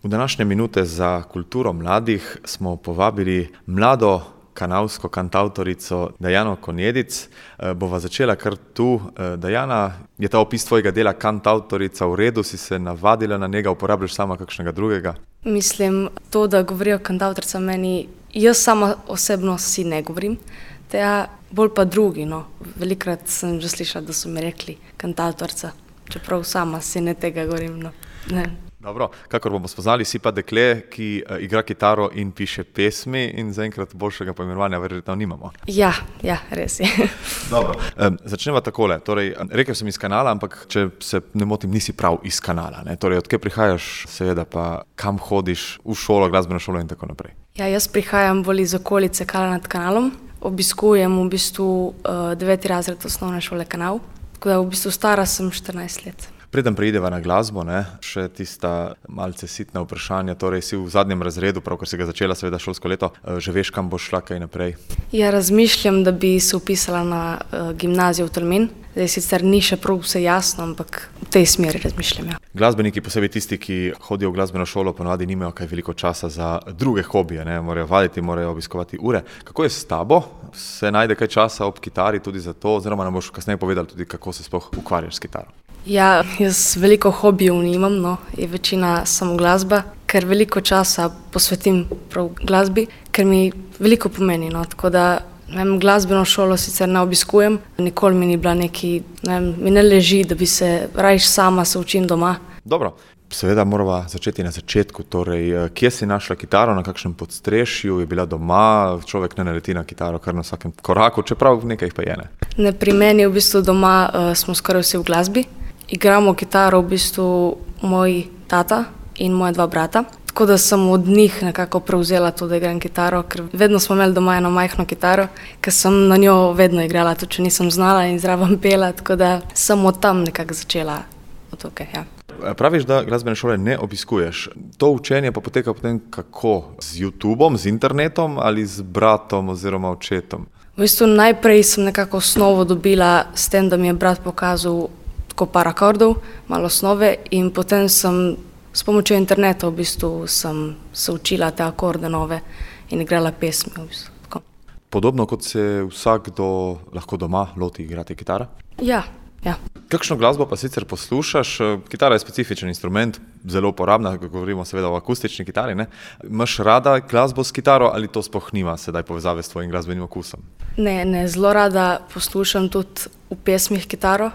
V današnje minute za kulturo mladih smo povabili mlado kanalsko kantavtorico Dejano Konjedic. Bova začela kar tu. Dejana, je ta opis tvojega dela kantavtorica v redu? Si se navadila na njega, uporabljaš sama kakšnega drugega? Mislim, to, da govorijo kantavtorica meni, jaz sama osebno si ne govorim, tega bolj pa drugi, no. Velikokrat sem že slišala, da so mi rekli kantavtorica, čeprav sama si ne tega govorim, no. Ne. Dobro, kakor bomo spoznali, si pa dekle, ki igra kitaro in piše pesmi in zaenkrat boljšega poimenovanja verjetno nimamo. Ja, res je. Dobro, začneva takole. Torej, rekel sem iz Kanala, ampak če se ne motim, nisi prav iz Kanala, ne? Torej, odkje prihajaš, seveda pa kam hodiš v šolo, glasbeno šolo in tako naprej? Ja, jaz prihajam bolj iz okolice Kala nad Kanalom. Obiskujem v bistvu 9. razred osnovne šole Kanal, tako da v bistvu stara sem 14 let. Preden preideva na glasbo, še tista malce sitna vprašanja, torej si v zadnjem razredu, pravkar si ga začela seveda šolsko leto, že veš, kam boš šla kaj naprej? Ja, razmišljam, da bi se vpisala na gimnazijo v Tolmin. Zdaj sicer ni še prav vse jasno, ampak v tej smeri razmišljam, ja. Glasbeniki, posebej tisti, ki hodijo v glasbeno šolo, ponavadi nimajo kaj veliko časa za druge hobije, ne? Morajo vaditi, morajo obiskovati ure. Kako je s tabo? Se najde kaj časa ob kitari tudi za to, oziroma nam boš kasneje povedala tudi, kako se sploh ukvarjaš s kitaro? Ja, jaz veliko hobijev nimam, no, je večina samo glasba, ker veliko časa posvetim prav glasbi, ker mi veliko pomeni, no, tako da, glasbeno šolo sicer ne obiskujem, nikoli mi ni bila neki, mi ne leži, da bi se rajš sama se učim doma. Dobro, seveda morava začeti na začetku, torej, kje si našla kitaro, na kakšnem podstrešju, je bila doma, človek ne naleti na kitaro kar na vsakem koraku, čeprav nekaj jih pa je, ne? Ne, pri meni v bistvu doma smo skoraj vsi v glasbi. Igramo kitaro v bistvu moj tata in moja dva brata, tako da sem od njih nekako prevzela to, da igram kitaro, ker vedno smo imeli doma eno majhno kitaro, ker sem na njo vedno igrala, tudi če nisem znala in zraven pela, tako da sem od tam nekako začela od tukaj, ja. Praviš, da glasbene šole ne obiskuješ. To učenje pa poteka potem kako? Z YouTubeom, z internetom ali z bratom oziroma očetom? V bistvu najprej sem nekako osnovo dobila s tem, da mi je brat pokazal par akordov, malo osnove in potem sem s pomočjo interneta v bistvu sem se učila te akorde nove in igrala pesmi v bistvu. Tako. Podobno kot se vsakdo lahko doma loti igrati kitara? Ja. Kakšno glasbo pa sicer poslušaš? Kitara je specifičen instrument, zelo uporabna, govorimo seveda o akustični kitari, ne? Imaš rada glasbo s kitaro ali to sploh nima sedaj povezave s tvojim glasbenim okusom? Ne, zelo rada poslušam tudi v pesmih kitaro.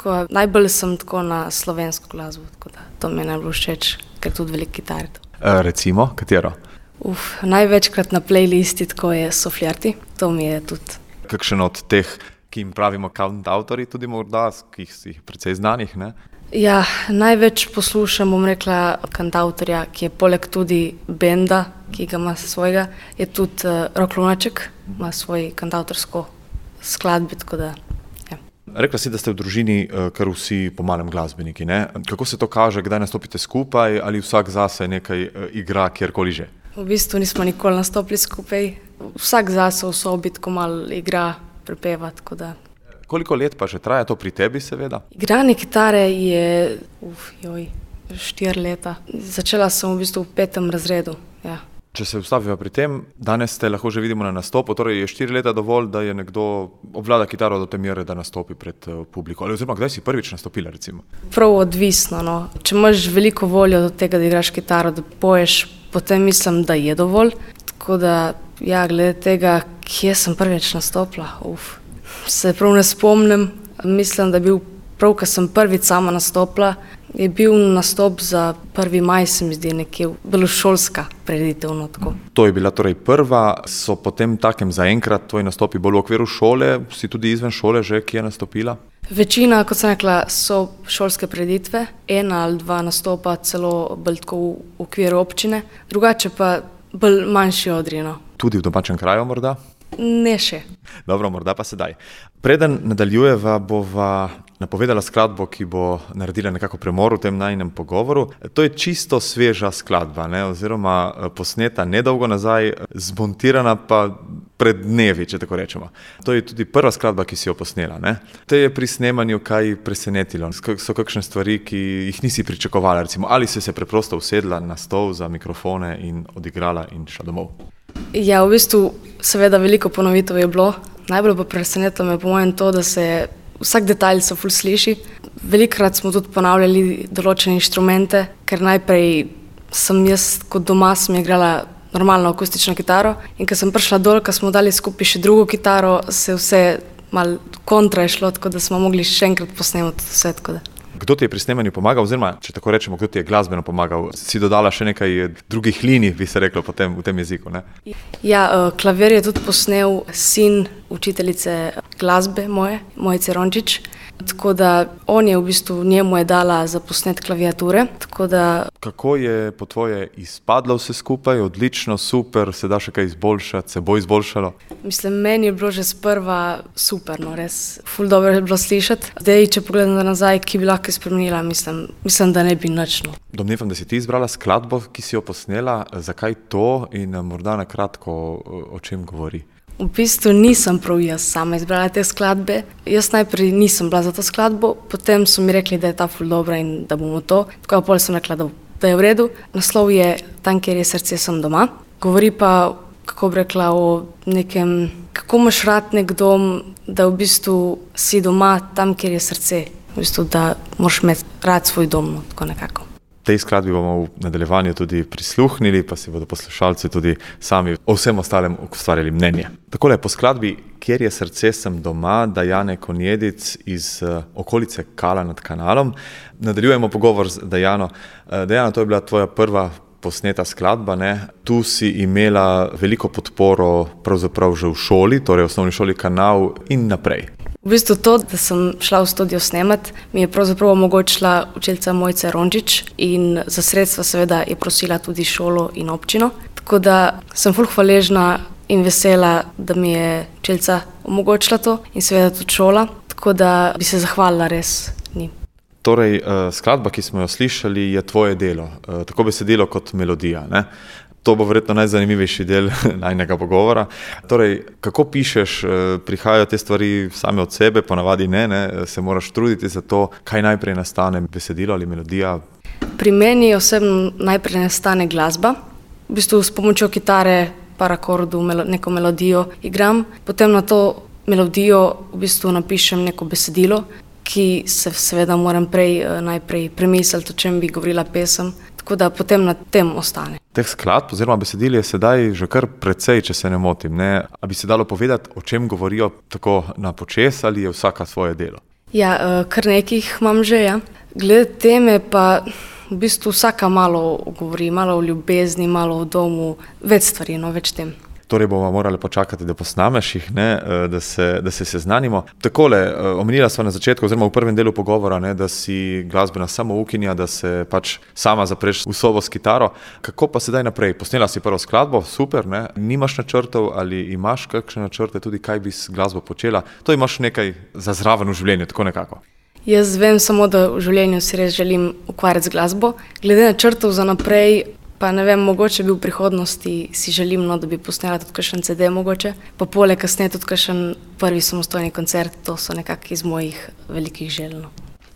Najbolj sem tako na slovensko glasbo, tako da to mi je najbolj všeč, ker tudi veliko kitar. Recimo, katero? Največkrat na playlisti tako so Flirti, to mi je tudi. Kakšen od teh, ki jim pravimo kantavtori, tudi morda, ki si precej znanih, ne? Ja, največ poslušam, bom rekla, kantavtorja, ki je poleg tudi benda, ki ga ima svojega, je tudi Rok Lunaček, ima svoj kantavtorsko skladbi, tako da. Rekla si, da ste v družini kar vsi po malem glasbeniki, ne? Kako se to kaže, kdaj nastopite skupaj ali vsak zase nekaj igra kjerkoli že? V bistvu nismo nikoli nastopili skupaj, vsak zase v sobi tako malo igra, prepeva, tako da. Koliko let pa že traja to pri tebi seveda? Igranje kitare je 4 leta. Začela sem v bistvu v 5. razredu, ja. Če se ustaviva pri tem, danes te lahko že vidimo na nastopu, torej je 4 leta dovolj, da je nekdo obvlada kitaro do te mere, da nastopi pred publiko. Ali oziroma, kdaj si prvič nastopila, recimo? Prav odvisno, no. Če imaš veliko voljo do tega, da igraš kitaro, da poješ, potem mislim, da je dovolj. Tako da, ja, glede tega, kje sem prvič nastopila, se prav ne spomnim. Mislim, da je bil prav, ko sem prvič sama nastopila, je bil nastop za 1. maj, se mi zdi, nekje bilo šolska prireditev. To je bila torej prva, so potem takem zaenkrat tvoji nastopi bolj v okviru šole, si tudi izven šole že kje nastopila? Večina, kot sem rekla, so šolske prireditve, 1 ali 2 nastopa celo bolj tako v okviru občine, drugače pa bolj manjši odri, no. Tudi v domačem kraju morda? Ne še. Dobro, morda pa sedaj. Preden nadaljujeva, bova napovedala skladbo, ki bo naredila nekako premor v tem najinem pogovoru. To je čisto sveža skladba, ne? Oziroma posneta nedolgo nazaj, zmontirana pa pred dnevi, če tako rečemo. To je tudi prva skladba, ki si jo posnela, ne? Te je pri snemanju kaj presenetilo? So kakšne stvari, ki jih nisi pričakovala, recimo, ali si se preprosto usedla na stol za mikrofone in odigrala in šla domov? Ja, v bistvu seveda veliko ponovitev je bilo. Najbolj pa presenetilo me po mojem to, da se vsak detalj se ful sliši. Velikokrat smo tudi ponavljali določene inštrumente, ker najprej sem jaz kot doma sem igrala normalno akustično kitaro in ko sem prišla dol, ko smo dali skupaj še drugo kitaro, se vse malo kontra je šlo, tako da smo mogli še enkrat posnemati vse. Kdo ti je pri snemanju pomagal, oziroma, če tako rečemo, kdo ti je glasbeno pomagal? Si dodala še nekaj drugih linij, bi se reklo potem v tem jeziku, ne? Ja, klavir je tudi posnel sin učiteljice glasbe Mojce Rončič. Tako da on je v bistvu, njemu je dala za posnet klaviature, tako da... Kako je po tvoje izpadlo vse skupaj? Odlično, super, se da še kaj izboljšati, se bo izboljšalo? Mislim, meni je bilo že sprva super, no res, ful dobro je bilo slišati. Zdaj, če pogledam nazaj, ki bi lahko spremenila, mislim, da ne bi nič. Domnevam, da si ti izbrala skladbo, ki si jo posnela, zakaj to in morda na kratko o čem govori? V bistvu nisem prav jaz sama izbrala te skladbe. Jaz najprej nisem bila za to skladbo, potem so mi rekli, da je ta ful dobra in da bomo to. Tako potem sem rekla, da je v redu. Naslov je Tam, kjer je srce, sem doma. Govori pa, kako bi rekla, o nekem, kako imaš rad nek dom, da v bistvu si doma tam, kjer je srce. V bistvu, da moraš imeti rad svoj dom, no, tako nekako. Tej skladbi bomo v nadaljevanju tudi prisluhnili, pa si bodo poslušalci tudi sami o vsem ostalem ustvarjali mnenje. Takole, po skladbi Kjer je srce, sem doma, Dajane Konjedic iz okolice Kala nad Kanalom. Nadaljujemo pogovor z Dajano. Dajana, to je bila tvoja prva posneta skladba, ne? Tu si imela veliko podporo pravzaprav že v šoli, torej v osnovni šoli Kanal in naprej. V bistvu to, da sem šla v studio snemati, mi je pravzaprav omogočila učiteljica Mojca Rončič in za sredstva seveda je prosila tudi šolo in občino. Tako da sem ful hvaležna in vesela, da mi je učiteljica omogočila to in seveda tudi šola, tako da bi se zahvalila res njim. Torej, skladba, ki smo jo slišali, je tvoje delo, tako besedilo kot melodija, ne? To bo verjetno najzanimivejši del najnega pogovora. Torej, kako pišeš, prihajajo te stvari same od sebe, ponavadi ne, se moraš truditi za to, kaj najprej nastane, besedilo ali melodija? Pri meni osebno najprej nastane glasba. V bistvu s pomočjo kitare, par akordov, neko melodijo igram, potem na to melodijo v bistvu napišem neko besedilo, ki se seveda moram najprej premisliti, o čem bi govorila pesem, tako da potem na tem ostane. Teh skladb oziroma besedil je sedaj že kar precej, če se ne motim, ne? A bi se dalo povedati, o čem govorijo tako na počes ali je vsaka svoje delo? Ja, kar nekih imam že, ja. Glede teme pa v bistvu vsaka malo govori, malo o ljubezni, malo o domu, več stvari, no, več tem. Torej bomo morali počakati, da posnameš jih, ne, da se seznanimo. Takole, omenila sva na začetku, oziroma v prvem delu pogovora, ne, da si glasbena samoukinja, da se pač sama zapreš v sobo s kitaro. Kako pa sedaj naprej? Posnela si prvo skladbo, super, ne? Nimaš načrtov ali imaš kakšne načrte tudi, kaj bi s glasbo počela? To imaš nekaj za zraven v življenju, tako nekako. Jaz vem samo, da v življenju si res želim ukvarjati z glasbo. Glede načrtov za naprej, pa ne vem, mogoče bi v prihodnosti si želim, no, da bi posnela tudi kakšen CD mogoče, pa poleg kasneje tudi kakšen prvi samostojni koncert, to so nekako iz mojih velikih želj.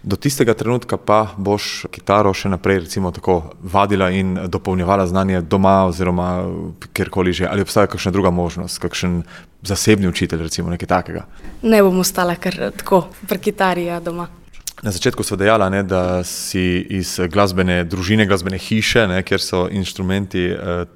Do tistega trenutka pa boš kitaro še naprej recimo tako vadila in dopolnjevala znanje doma oziroma kjerkoli že, ali obstaja kakšna druga možnost, kakšen zasebni učitelj recimo, nekaj takega? Ne bom ostala kar tako pri kitari, ja, doma. Na začetku sva dejala, ne, da si iz glasbene družine, glasbene hiše, ne, kjer so inštrumenti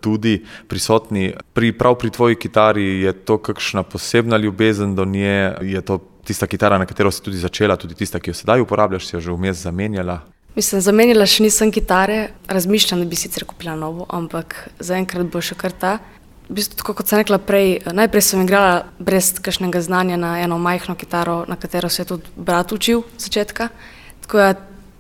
tudi prisotni. Prav pri tvoji kitari je to kakšna posebna ljubezen do nje? Je to tista kitara, na katero si tudi začela, tudi tista, ki jo sedaj uporabljaš, si jo že vmes zamenjala? Mislim, zamenjala še nisem kitare, razmišljam, da bi sicer kupila novo, ampak zaenkrat bo še kar ta. V bistvu, tako kot sem rekla prej, najprej sem igrala brez kakšnega znanja na eno majhno kitaro, na katero se je tudi brat učil začetka. Tako da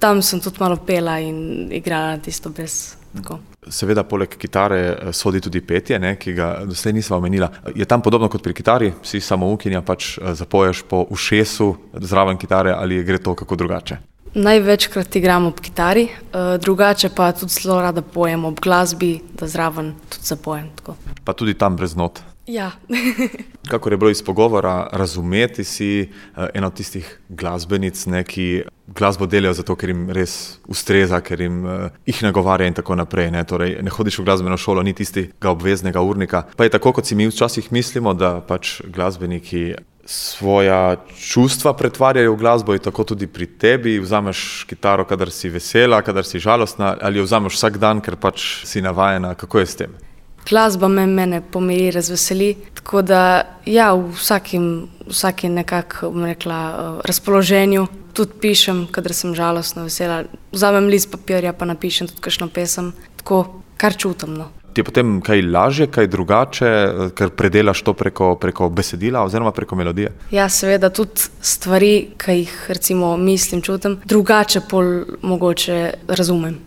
tam sem tudi malo pela in igrala tisto brez tako. Seveda poleg kitare sodi tudi petje, ne, ki ga doslej nisva omenila. Je tam podobno kot pri kitari? Si samoukinja, pač zapoješ po ušesu zraven kitare ali gre to kako drugače? Največkrat igram ob kitari, drugače pa tudi zelo rada pojem ob glasbi, da zraven tudi zapojem. Tako. Pa tudi tam brez not? Ja. Kakor je bilo iz pogovora razumeti, si ena od tistih glasbenic, ki glasbo delajo zato, ker jim res ustreza, ker jih nagovarja in tako naprej. Torej, ne hodiš v glasbeno šolo, ni tistega obveznega urnika. Pa je tako, kot si mi včasih mislimo, da pač glasbeniki svoja čustva pretvarjajo v glasbo, in tako tudi pri tebi. Vzameš kitaro, kadar si vesela, kadar si žalostna, ali jo vzameš vsak dan, ker pač si navajena. Kako je s tem? Glasba mene pomiri, razveseli, tako da ja, v vsakem nekako, bom rekla, razpoloženju tudi pišem, kadar sem žalostna, vesela. Vzamem list papirja, pa napišem tudi kakšno pesem, tako kar čutim, no. Ti je potem kaj lažje, kaj drugače, ker predelaš to preko besedila oziroma preko melodije? Ja, seveda tudi stvari, ki jih recimo mislim, čutim, drugače pol mogoče razumem.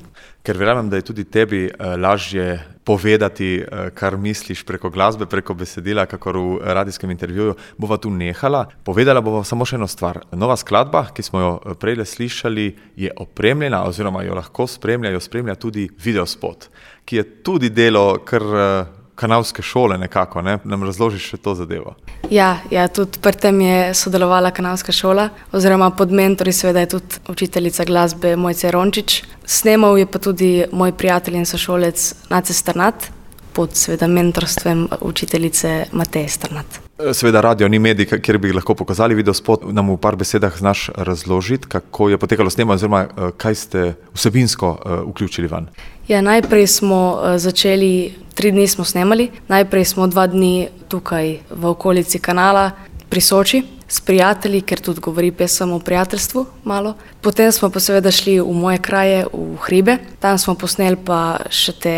Ker verjamem, da je tudi tebi lažje povedati, kar misliš preko glasbe, preko besedila, kakor v radijskem intervjuju, bova tu nehala. Povedala bova samo še eno stvar. Nova skladba, ki smo jo prejle slišali, je opremljena oziroma jo lahko spremlja tudi videospot, ki je tudi delo kar kanalske šole nekako, ne? Nam razložiš še to zadevo? Ja, tudi pri tem je sodelovala kanalska šola, oziroma pod mentori seveda je tudi učiteljica glasbe Mojca Rončič. Snemal je pa tudi moj prijatelj in sošolec Nace Strnad, pod seveda mentorstvom učiteljice Mateje Strnad. Seveda radio ni medij, kjer bi lahko pokazali videospot. Nam v par besedah znaš razložiti, kako je potekalo snemanje oziroma kaj ste vsebinsko vključili van? Ja, najprej smo začeli, 3 dni smo snemali. Najprej smo 2 dni tukaj v okolici kanala pri Soči s prijatelji, ker tudi govori pesem o prijateljstvu malo. Potem smo pa seveda šli v moje kraje, v hribe. Tam smo posneli pa še te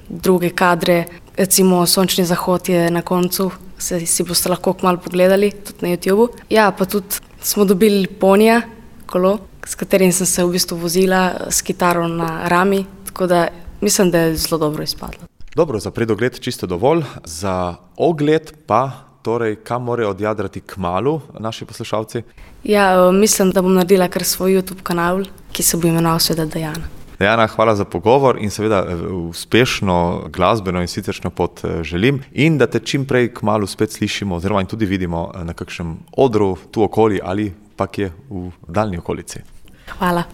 druge kadre, recimo Sončni zahod je na koncu, si boste lahko kmalu pogledali, tudi na YouTubu. Ja, pa tudi smo dobili ponija, kolo, s katerim sem se v bistvu vozila s kitaro na rami, tako da mislim, da je zelo dobro izpadlo. Dobro, za predogled čisto dovolj, za ogled pa, torej, kam morajo odjadrati kmalu naši poslušalci? Ja, mislim, da bom naredila kar svoj YouTube kanal, ki se bo imenoval seveda Dajana. Dajana, hvala za pogovor in seveda uspešno glasbeno in siceršnjo pot želim in da te čim prej kmalu spet slišimo oziroma in tudi vidimo na kakšnem odru tu okoli ali pa kje v daljni okolici. Hvala.